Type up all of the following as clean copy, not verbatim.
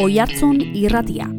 Oihartzun irratia.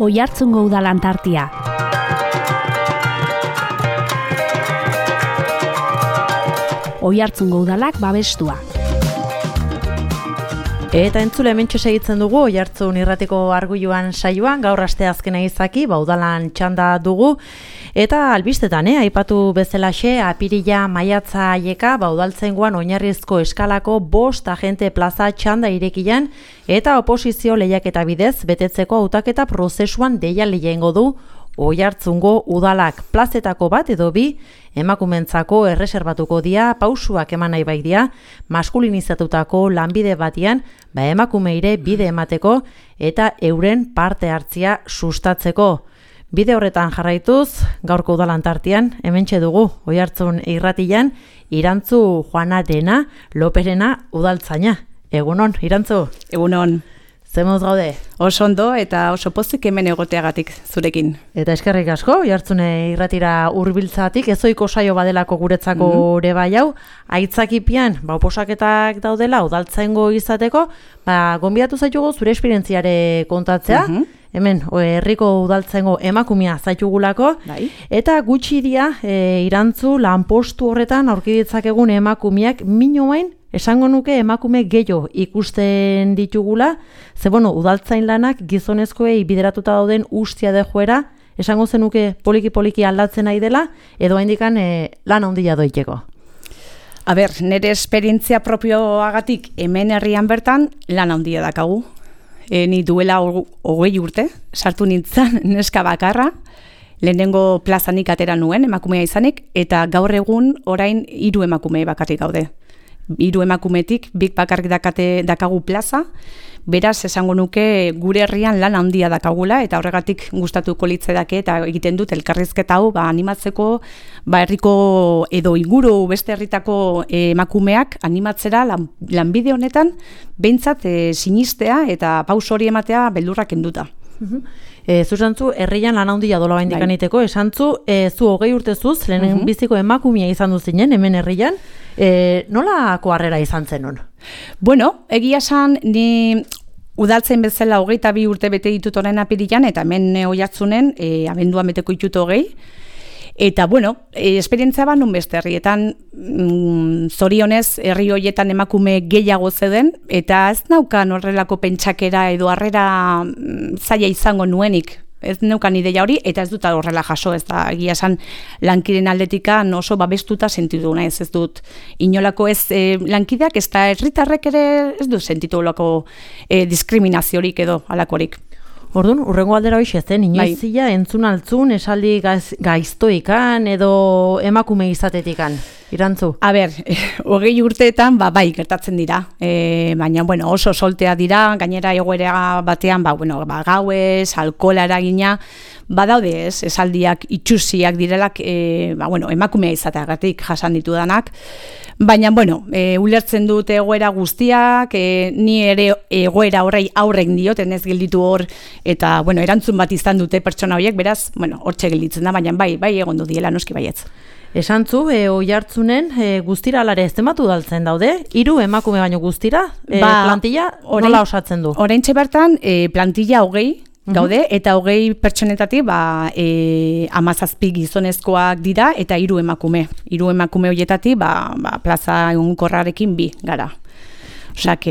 Oihartzungo udalan tartia. Oihartzungo udalak babestua. Eta entzule hementxe segitzen dugu Oihartzun irratiko arguiluan saioan, gaur asteazkena izaki, udalan txanda dugu. Eta albistetan, aipatu bezalaxe, apirila maiatza aieka, udaltzaingoan oinarrizko eskalako 5 agente plaza txanda irekian, eta oposizio lehiaketa bidez, betetzeko hautaketa prozesuan deialdi egingo du Oihartzungo udalak. Plazetako bat edo bi, emakumentzako erreserbatuko dia, pausuak eman nahi bai dia, maskulinizatutako lanbide batian, emakumeire bide emateko eta euren parte hartzia sustatzeko. Bide horretan jarraituz, gaurko udalan tartean, hementxe dugu, Oihartzun irratian, Irantzu Juanarena Loperena udaltzaina. Egunon, Irantzu? Egunon. Zemuz gaude? Oso ondo eta oso pozik hemen egoteagatik zurekin. Eta eskerrik asko, Oihartzun irratira hurbiltzatik, ezoiko saio badelako guretzako ere bai hau, aitzakipian, oposaketak daudela, udaltzaingo izateko, gonbidatu zaitugu zure esperientziare kontatzea, hemen, herriko udaltzaingo emakumea zaitugulako, eta gutxi dia, Irantzu lanpostu horretan aurki ditzakegun emakumeak minoain, esango nuke emakume gehiago ikusten ditugula, ze udaltzain lanak gizonezkoei bideratuta dauden ustia de joera, esango zenuke poliki aldatzen nahi dela, edo haindikan lan handia doiteko. Nire esperientzia propioagatik hemen herrian bertan lan handia dakagu. Ni duela 20 urte, sartu nintzen neska bakarra, lehenengo plazanik atera nuen, emakumea izanik, eta gaur egun orain 3 emakume bakarrik gaude. 3 emakumetik, bik bakarrik dakagu plaza, beraz esango nuke gure herrian lan handia dakagula, eta horregatik gustatuko litzaidake eta egiten dut elkarrizketa hau animatzeko herriko edo inguru beste herritako emakumeak animatzera lanbide honetan behintzat sinistea eta pauso hori ematea beldurrak kenduta. Zuzantzu, herrian lan handia dola baindikan iteko, esantzu, zu 20 urtezuz, lehen biziko emakumea izan duzinen, hemen herrian, nolako harrera izan zenun? Egia esan, ni udaltzen bezala 22 urte bete ditut orain apirilan, eta hemen Oihartzunen, abenduan beteko ditut 20, eta, esperientzia nun beste herrietan, zorionez, herri horietan emakume gehiago zeuden, eta ez naukan horrelako pentsakera edo harrera zaila izango nuenik. Ez neukan ideia hori, eta ez dut horrela jaso, ez da, egia esan lankiren aldetikan oso babestuta sentitu naiz, ez dut inolako ez lankideak, ez da herritarrek ere ez dut sentitu olako diskriminaziorik edo alakorik. Orduan, urrengo aldera hoxe zen, inoizia entzun altzun, esaldi gaiztoikan edo emakume izatetikan, Irantzu? 20 urteetan, bai, gertatzen dira, baina, oso soltea dira, gainera egoera batean, gauez, alkohola eragina, badaude ez, esaldiak itxusiak direlak, emakumea izateagatik jasan ditudanak, baina, ulertzen dut egoera guztiak, ni ere egoera horrei aurrek dioten ez gelditu hor, eta, erantzun bat izan dute pertsona horiek, beraz, hortxe gelditzen da, baina bai egon du diela, noski baietz. Esantzu, Oihartzunen guztira alare eztematu daltzen daude, 3 emakume baino guztira, plantilla nola osatzen du? Oraintxe bertan, plantilla 20 gaude, eta 20 pertsonetatik 17 gizonezkoak dira, eta 3 emakume. 3 emakume horietatik, plaza egunkorrarekin 2 gara. Osak,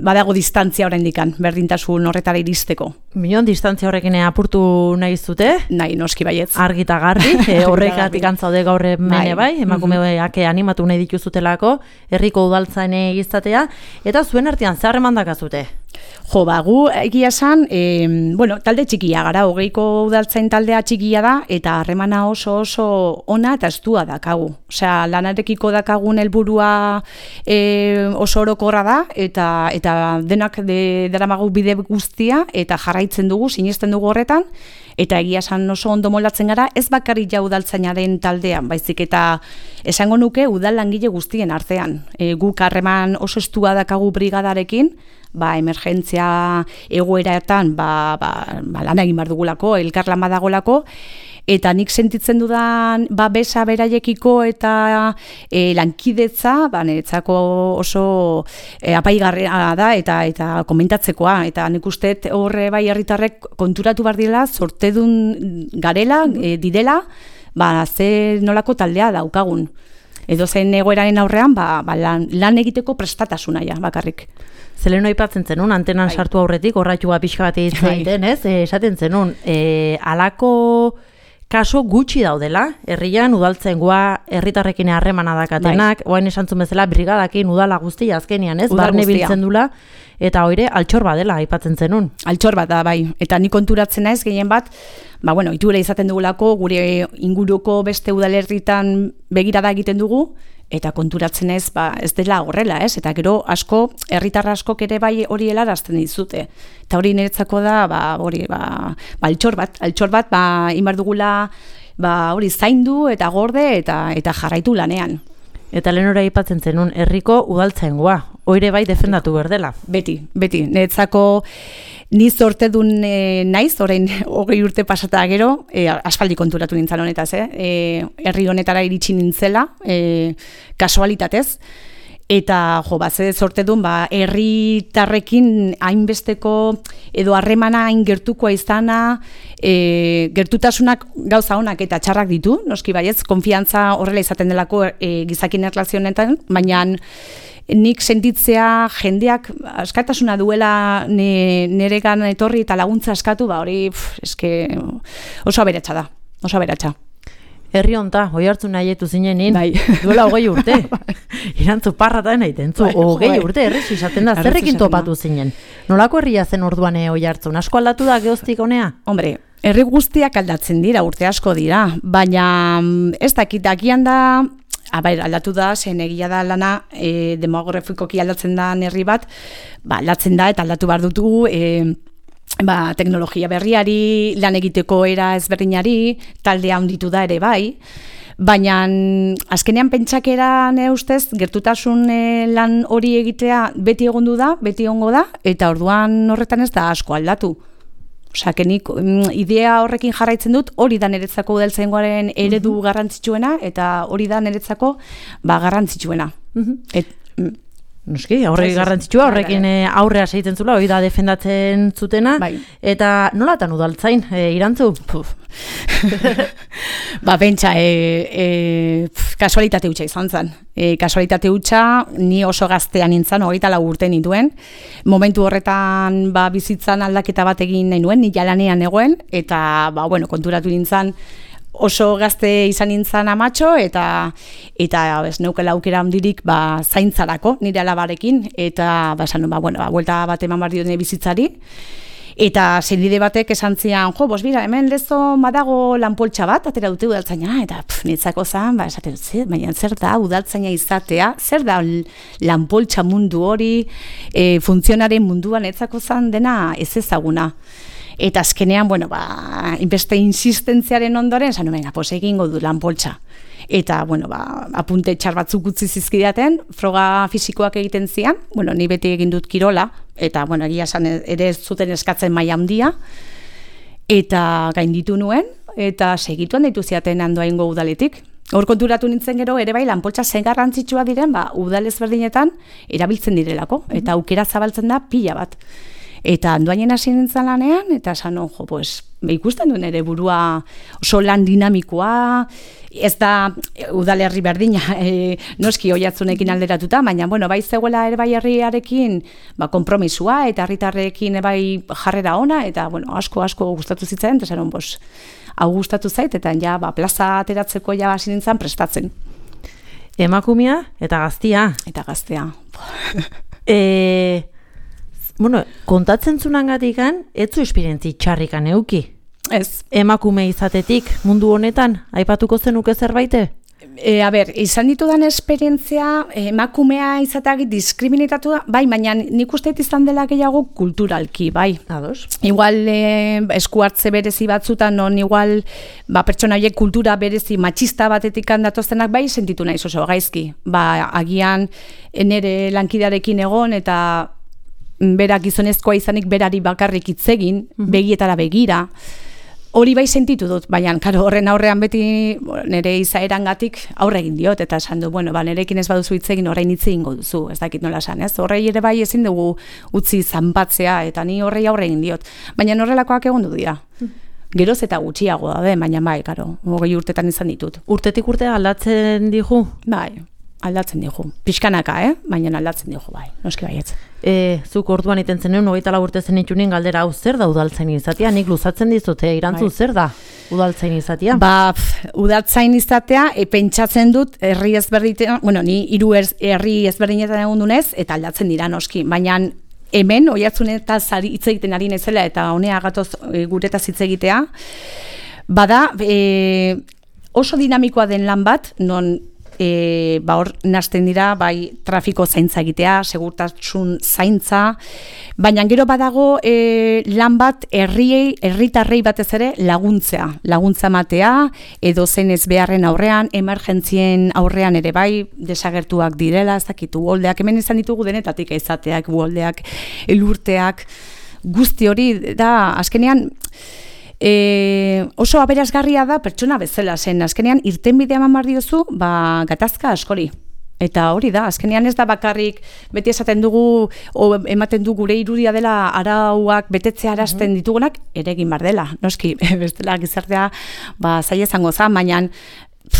badago distantzia oraindikan, berdintasun horretara iristeko. Minon distantzia horrekin apurtu nahi zute? Nahi, noski baietz. Argita garbi, horrekatik antzaude gaur mene bai, emakumeak animatu nahi dituzutelako, herriko udaltzaine izatea, eta zuen artean zer emandakazute? Gu egia esan, talde txikia gara, 20ko udaltzain taldea txikia da, eta harremana oso ona eta estua dakagu. Osea, lanarekiko dakagun helburua oso orokorra da, eta denak daramagu bide guztia, eta jarraitzen dugu, sinesten dugu horretan, Eta egia esan oso ondo moldatzen gara, ez bakarrik ja udaltzainaren taldean, baizik eta esango nuke udal langile guztien artean. Guk harreman oso estua dakagu brigadarekin, emergentzia egoeratan lan egin behar dugulako, elkarlan badagolako, eta nik sentitzen dudan besa beraiekiko eta lankidetza, niretzako oso apaigarria da eta komentatzekoa, eta nik uste horre bai herritarrek konturatu behar dira, sortedun garela, direla, ze nolako taldea daukagun. Edo zen egoeraren aurrean, lan egiteko prestatasuna ja, bakarrik. Zeleno aipatzen zenun, antenan sartu aurretik, horratxua pixka bat egiten, esaten zenun, alako kaso gutxi daudela, herrian udaltzaingoa herritarrekin harremana dakatenak, oain esantzun bezala brigadakin udala guztia azkenian, barne biltzen dula, eta hoire altxor bat dela aipatzen zenun. Altxor bat da, bai, eta ni konturatzen naiz gehien bat, itule izaten dugulako, gure inguruko beste udalerritan begirada egiten dugu, eta konturatzen ez dela horrela, eta gero asko, herritar askok ere bai hori helarazten dizute. Eta hori niretzako da, altxor bat, inbar dugula, hori zaindu eta gorde eta jarraitu lanean. Eta lehenora aipatzen zenun, herriko udaltzaingoa, hoire bai defendatu berdela. Beti, niretzako ni zortedun naiz, orain 20 urte pasata gero, aspaldi konturatu nintzen honetaz, herri honetara iritsi nintzela, kasualitatez, eta ze zortedun herritarrekin hainbesteko edo harremana hain gertukoa izana, gertutasunak gauza honak eta txarrak ditu, noski baietz, konfiantza horrela izaten delako gizakin erlazionetan, baina nik sentitzea jendeak askatasuna duela neregan etorri eta laguntza askatu, hori oso aberatsa da, oso aberatsa. Herri honta, Oiartzun nahietu zinenin, duela 20 urte. Irantzu parratan egiten zu, 20 urte, herri izaten da, zerrekin topatu zinen. Nolako herria zen orduan Oiartzun? Asko aldatu da geoztik honea? Hombre, herri guztiak aldatzen dira, urte asko dira, baina ez dakit, agian da, aldatu da, zen egia da lana, demografikoki aldatzen da herri bat, aldatzen da eta aldatu behar dutu, teknologia berriari, lan egiteko era ezberdinari, taldea handitu da ere bai, baina azkenean pentsakera ustez, gertutasun lan hori egitea beti egondu da, beti egongo da, eta orduan horretan ez da asko aldatu. Nik idea horrekin jarraitzen dut, hori da niretzako udaltzaingoaren eredu garrantzitsuena, eta hori da niretzako garrantzitsuena. Noski, horrek garrantzitsua, horrekin aurrea segitzen zula, hori da defendatzen zutena, eta nolatan udaltzain, Irantzu? Pentsa, kasualitate hutsa izan zen. Kasualitate hutsa, ni oso gaztean nintzen, 24 urte nituen. Momentu horretan bizitzan aldaketa bat egin nahi nuen, ni jalanean egoen, eta konturatu nintzen, oso gazte izan nintzen amatxo, eta neukela aukera handirik zaintzarako nire alabarekin, eta buelta bat eman behar dione bizitzari, eta zenide batek esan zian, hemen lezo madago lanpoltsa bat, atera dute udaltzaina, eta niretzako zan, esaten dut, baina zer da udaltzaina izatea, zer da lanpoltsa mundu hori, funtzionaren munduan niretzako zan dena ez ezaguna. Eta azkenean, inbeste insistentziaren ondoren, egingo du lanpoltsa. Eta, apunte txar batzuk utzi zizkidaten, froga fisikoak egiten zian, ni beti egin dut kirola, eta, egia esan ere ez zuten eskatzen maila handia, eta gainditu nuen, eta segituan deitu ziaten handoaingo udaletik. Hor konturatu nintzen gero, ere bai, lanpoltsa zen garrantzitsua diren, udal ezberdinetan erabiltzen direlako, eta aukera zabaltzen da pila bat. Eta handoainen hasi nintzen lanean, eta esan, ikusten duen ere burua oso lan dinamikoa, ez da udalerri berdina, noski Oiartzunekin alderatuta, baina, bai zegoela ere bai herriarekin konpromisua, eta herritarrekin bai jarrera ona, eta, asko gustatu zitzen, eta esan, hau gustatu zait, eta plaza ateratzeko hasi nintzen prestatzen. Emakumea eta gaztia. Eta gaztea. Kontatzen zunangatikan, ez zu esperientzi txarrikan euki? Ez. Emakume izatetik mundu honetan, aipatuko zenuke zerbaite? Izan ditudan esperientzia, emakumea izateak diskriminitatu da, bai, baina nik uste izan dela gehiago kulturalki, bai. Ados. Igual esku hartze berezi batzutan, non igual pertsona horiek kultura berezi matxista batetik datoztenak bai, sentitu naiz oso gaizki. Agian nere lankidearekin egon eta berak gizonezkoa izanik berari bakarrik hitz egin, begietara begira. Hori bai sentitu dut, baina horren aurrean beti nire izaerangatik aurre egin diot, eta esan du, nerekin ez baduzu hitz egin orain hitz egingo duzu, ez dakit nola esan, ez? Horrei ere bai ezin dugu utzi zanpatzea, eta ni horrei aurre egin diot. Baina horrelakoak egon du dira. Geroz eta gutxiago da, baina bai, 20 urtetan izan ditut. Urtetik urtea aldatzen digu? Bai, aldatzen digu. Pixkanaka, baina aldatzen digu, bai, noski baietz. Zuk orduan iten zenuen, 24 urte zen itxunin galdera, hau zer da udaltzain izatea? Nik luzatzen dizute, irantzu zer da udaltzain izatea? Udaltzain izatea, pentsatzen dut, herri ezberdinetan, ni 3 herri ezberdinetan egon dunez, eta aldatzen dira noski, baina hemen, oihartzunetaz hitz egiten ari naizela, eta honea gatoz guretaz hitz egitea, bada, oso dinamikoa den lan bat, non hor nazten dira bai trafiko zaintza egitea, segurtasun zaintza, baina gero badago lan bat herritarrei batez ere laguntza matea, edo zen ez beharren aurrean, emergentzien aurrean ere bai desagertuak direla, ez dakit uholdeak, hemen izan ditugu denetatik izateak, uholdeak, elurteak, guzti hori da, azkenean, oso aberasgarria da pertsona bezala zen, azkenean irtenbidea eman behar diozu, gatazka askori. Eta hori da, azkenean ez da bakarrik beti esaten dugu, ematen du gure irudia dela arauak betetzea arazten ditugunak, ere egin behar dela. Noski, bestela gizartea zaila izango za, baina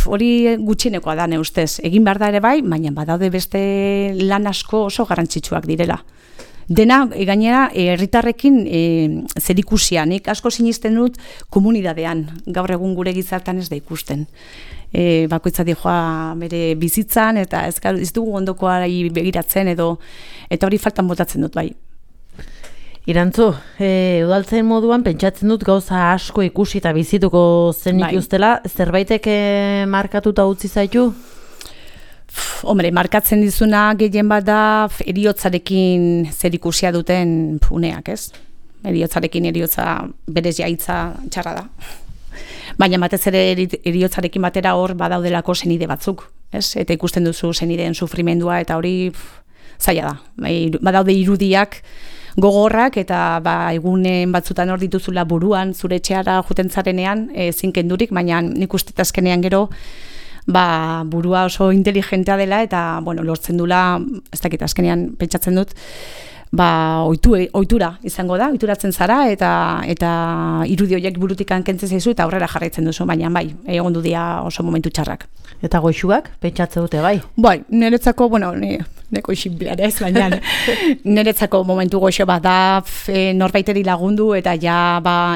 hori gutxienekoa da ne ustez. Egin behar da ere bai, baina badaude beste lan asko oso garrantzitsuak direla. Dena, gainera, herritarrekin zerikusia, nik asko sinisten dut komunidadean, gaur egun gure gizartan ez da ikusten. Bakoitza dijoa bere bizitzan, eta ez dugu ondokoari begiratzen, eta hori faltan botatzen dut bai. Irantzu, udaltzen moduan pentsatzen dut gauza asko ikusi eta bizituko zenik ustela, zerbaitek markatuta utzi zaitu? Hombre, markatzen dizuna gehien bat da eriotzarekin zerikusia duten uneak, ez? Eriotza berez jaitza txarra da. Baina batez ere eriotzarekin batera hor badaudelako senide batzuk, ez? Eta ikusten duzu senideen sufrimendua eta hori zaila da. Badaude irudiak gogorrak eta egunen batzutan hor dituzula buruan, zure etxeara juten zarenean, zinkendurik, baina nik uste azkenean gero burua oso inteligentea dela eta lortzen dula, ez dakit azkenean pentsatzen dut, ohitura izango da, ohituratzen zara eta irudi horiek burutik kentzen zaizu eta aurrera jarraitzen duzu, baina bai, egon du dira oso momentu txarrak. Eta goixuak pentsatzen dute bai? Bai, niretzako, neko isinblean ez, baina niretzako momentu goxo bat da norbaiteri lagundu eta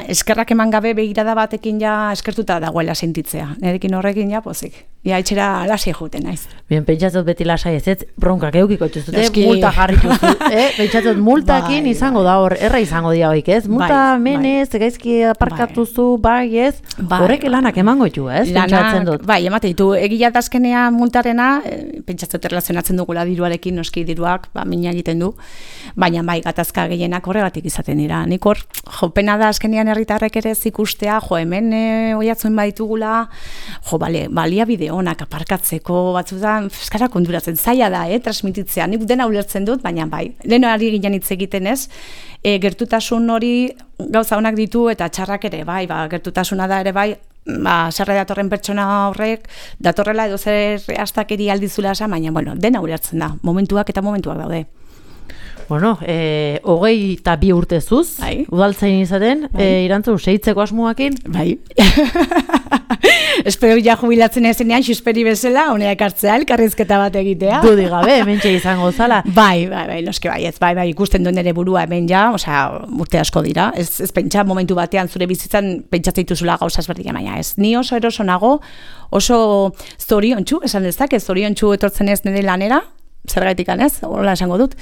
eskerrak eman gabe begirada batekin eskertuta dagoela sentitzea. Nirekin horrekin pozik. Etxera lasai juten naiz. Bien, pentsatzen beti lasai ez, bronkak eukiko txuzute, multa jarrituzu. Pentsatzen multakin izango da hor, erra izango dira hoik, ez? Multa menez, gaizki aparkatuzu, bai ez? Horrek lanak emango ditu, ez? Pentsatzen dut. Bai, emate ditu, egia dazkenea multarena, pentsatzen erlazionatzen dugula diruarekin, noski diruak, mina egiten du, baina bai, gatazka gehienak horregatik izaten dira. Nik hor, pena da azkenean herritarrek ere zikustea, hemen oiatzuen baditugula, baliabide onak aparkatzeko batzutan, eskara konduratzen zaila da, transmititzea, nik dena ulertzen dut, baina bai, lehenari ginen hitz egiten ez, gertutasun hori gauza onak ditu eta txarrak ere bai, gertutasuna da ere bai, sarre datorren pertsona horrek, datorrela edo zer astakeri aldizula esan, baina, dena ulertzen da, momentuak eta momentuak daude. 22 urte zuz, udaltzain izaten, Irantzu, segitzeko asmoakin? Bai. Espero jubilatzen ezenean, xusperi bezala, honeak hartzea, elkarrizketa bat egitea. Dudi gabe, hementxe izango zala. Bai, noske bai, ikusten duen ere burua hemen urte asko dira. Ez pentsa momentu batean zure bizitzan pentsatzen dituzula gauza ezberdina, baina ez. Ni oso eroso nago, oso zoriontsu, esan dezak, zoriontsu etortzen ez nire lanera, zergaitik ez, hola esango dut.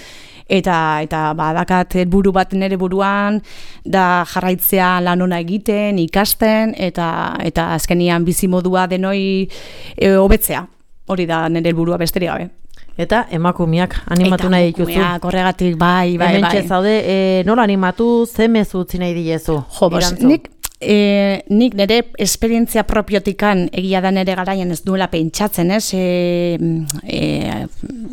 eta badakat helburu bat nire buruan da jarraitzea lan ona egiten, ikasten eta azkenian bizimodua denoi hobetzea. Hori da nire helburua besterik gabe. Eta emakumeak animatu nahi dituzu. Eta emakumeak horregatik bai. Hementxe zaude, nola animatu, ze mezu utzi nahi diezu? Jo, nik nire esperientzia propiotikan egia da nire garaian ez duela pentsatzen, ez?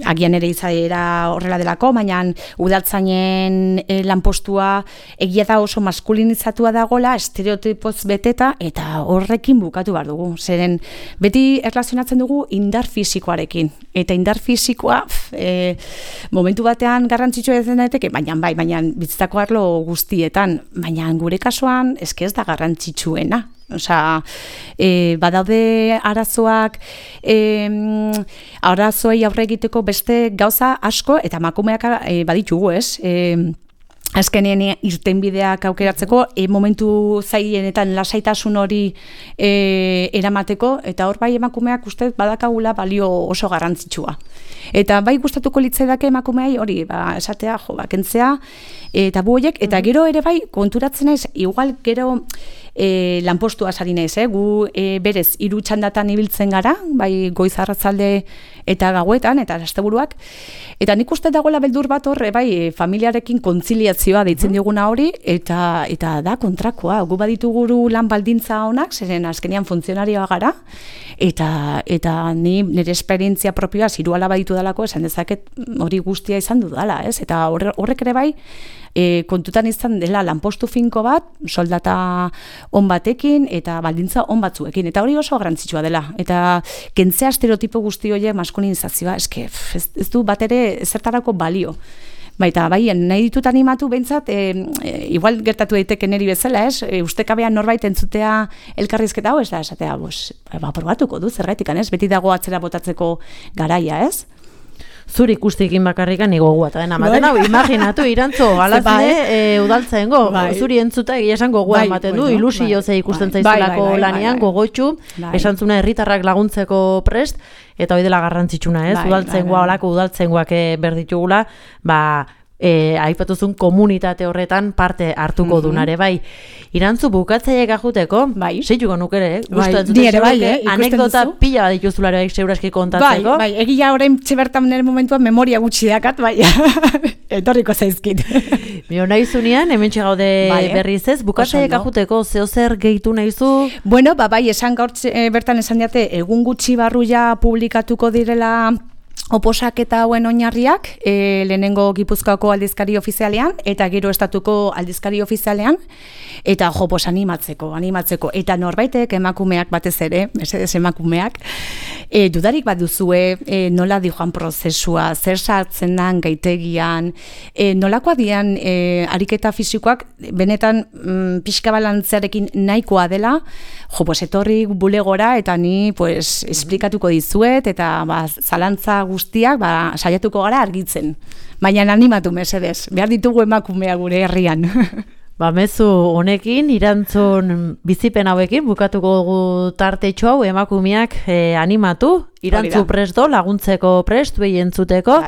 Agian ere izaera horrela delako, baina udaltzainen lanpostua egia da oso maskulinizatua dagola, estereotipoz beteta, eta horrekin bukatu behar dugu. Zeren, beti erlazionatzen dugu indar fisikoarekin. Eta indar fisikoa momentu batean garrantzitsua ez daiteke, baina bizitzako arlo guztietan, baina gure kasuan eske ez da garrantzitsuena. Osea, badaude arazoak, arazoei aurre egiteko beste gauza asko, eta emakumeak baditugu, ez? Azkenean irtenbideak aukeratzeko, momentu zailenetan lasaitasun hori eramateko, eta hor bai emakumeak uste badakagula balio oso garrantzitsua. Eta bai gustatuko litzaidake emakumeai hori, esatea, kentzea, eta buoiek, eta gero ere bai konturatzen naiz, igual gero lanpostua sari naiz, gu berez 3 txandatan ibiltzen gara, bai goiz arratzalde eta gauetan, eta asteburuak, eta nik uste dagoela beldur bat horre, bai familiarekin kontziliazioa deitzen dioguna hori, eta da kontrakoa, gu badituguru lan baldintza honak, zeren azkenean funtzionarioa gara, eta ni nire esperientzia propioa ziruala baditu dalako, esan dezaket hori guztia izan dudala, ez? Eta horrek ere bai, kontutan izan dela lanpostu finko bat, soldata on batekin eta baldintza on batzuekin, eta hori oso garrantzitsua dela, eta kentzea estereotipo guzti horiek maskulinizazioa, eske ez du bat ere zertarako balio. Baita, nahi ditut animatu behintzat, igual gertatu daiteke niri bezala, ez? Ustekabean norbait entzutea elkarrizketa hau, ez da, esatea, probatuko du, zergaitik, ez? Beti dago atzera botatzeko garaia, ez? Zuri ikustikin bakarrikan nigo guata dena. Maten hau, imaginatu, Irantzo, alazne udaltzaengo, zuri entzuta egia esan gogoa ematen du, ilusio ze ikusten zaizulako lanian, gogotxu, esantzuna herritarrak laguntzeko prest, eta hori dela garrantzitsuna, ez? Udaltzaengoa, olako udaltzaengoak berditugula, aipatuzun komunitate horretan parte hartuko dunare, bai. Irantzu bukatzaile gajuteko, seituko nukere, anekdota pila bat dituzulare seguraski kontatzeko. Bai, egia orain txebertan nire momentuan memoria gutxi dakat, etorriko zaizkit. Bio nahi zunean, hemen txegaude berriz ez, bukatzaile gajuteko zeozer gehitu nahizu? Bueno, esan gaur bertan esan diate, egun gutxi barru ja publikatuko direla oposaketa hauen oinarriak, lehenengo Gipuzkoako aldizkari ofizialean, eta gero estatuko aldizkari ofizialean, eta animatzeko. Eta norbaitek emakumeak batez ere, mesedez emakumeak, dudarik bat duzue, nola dijoan prozesua, zer sartzen dan gaitegian, nolakoa dian ariketa fisikoak, benetan pixka balantzearekin nahikoa dela, etorri bulegora, eta ni esplikatuko dizuet, eta zalantza guztiak saiatuko gara argitzen. Baina animatu mesedez, behar ditugu emakumea gure herrian. Mezu honekin, Irantzun bizipen hauekin, bukatuko dugu tartetxo hau, emakumeak animatu, Irantzu presto, laguntzeko prest, behi entzuteko,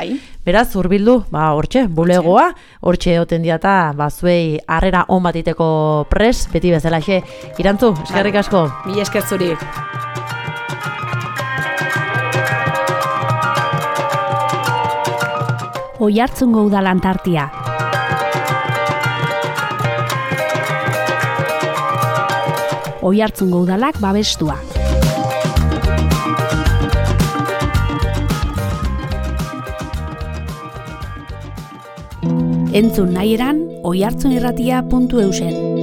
beraz, urbildu, hortxe, bulegoa, hortxe oten diata, zuei harrera on batiteko prest, beti bezalaxe. Irantzu, eskerrik asko. Mila esker zuri. Oiartzungo udalan tartia. Oiartzungo udalak babestua. Entzun nahi eran, oiartzunirratia.eusen.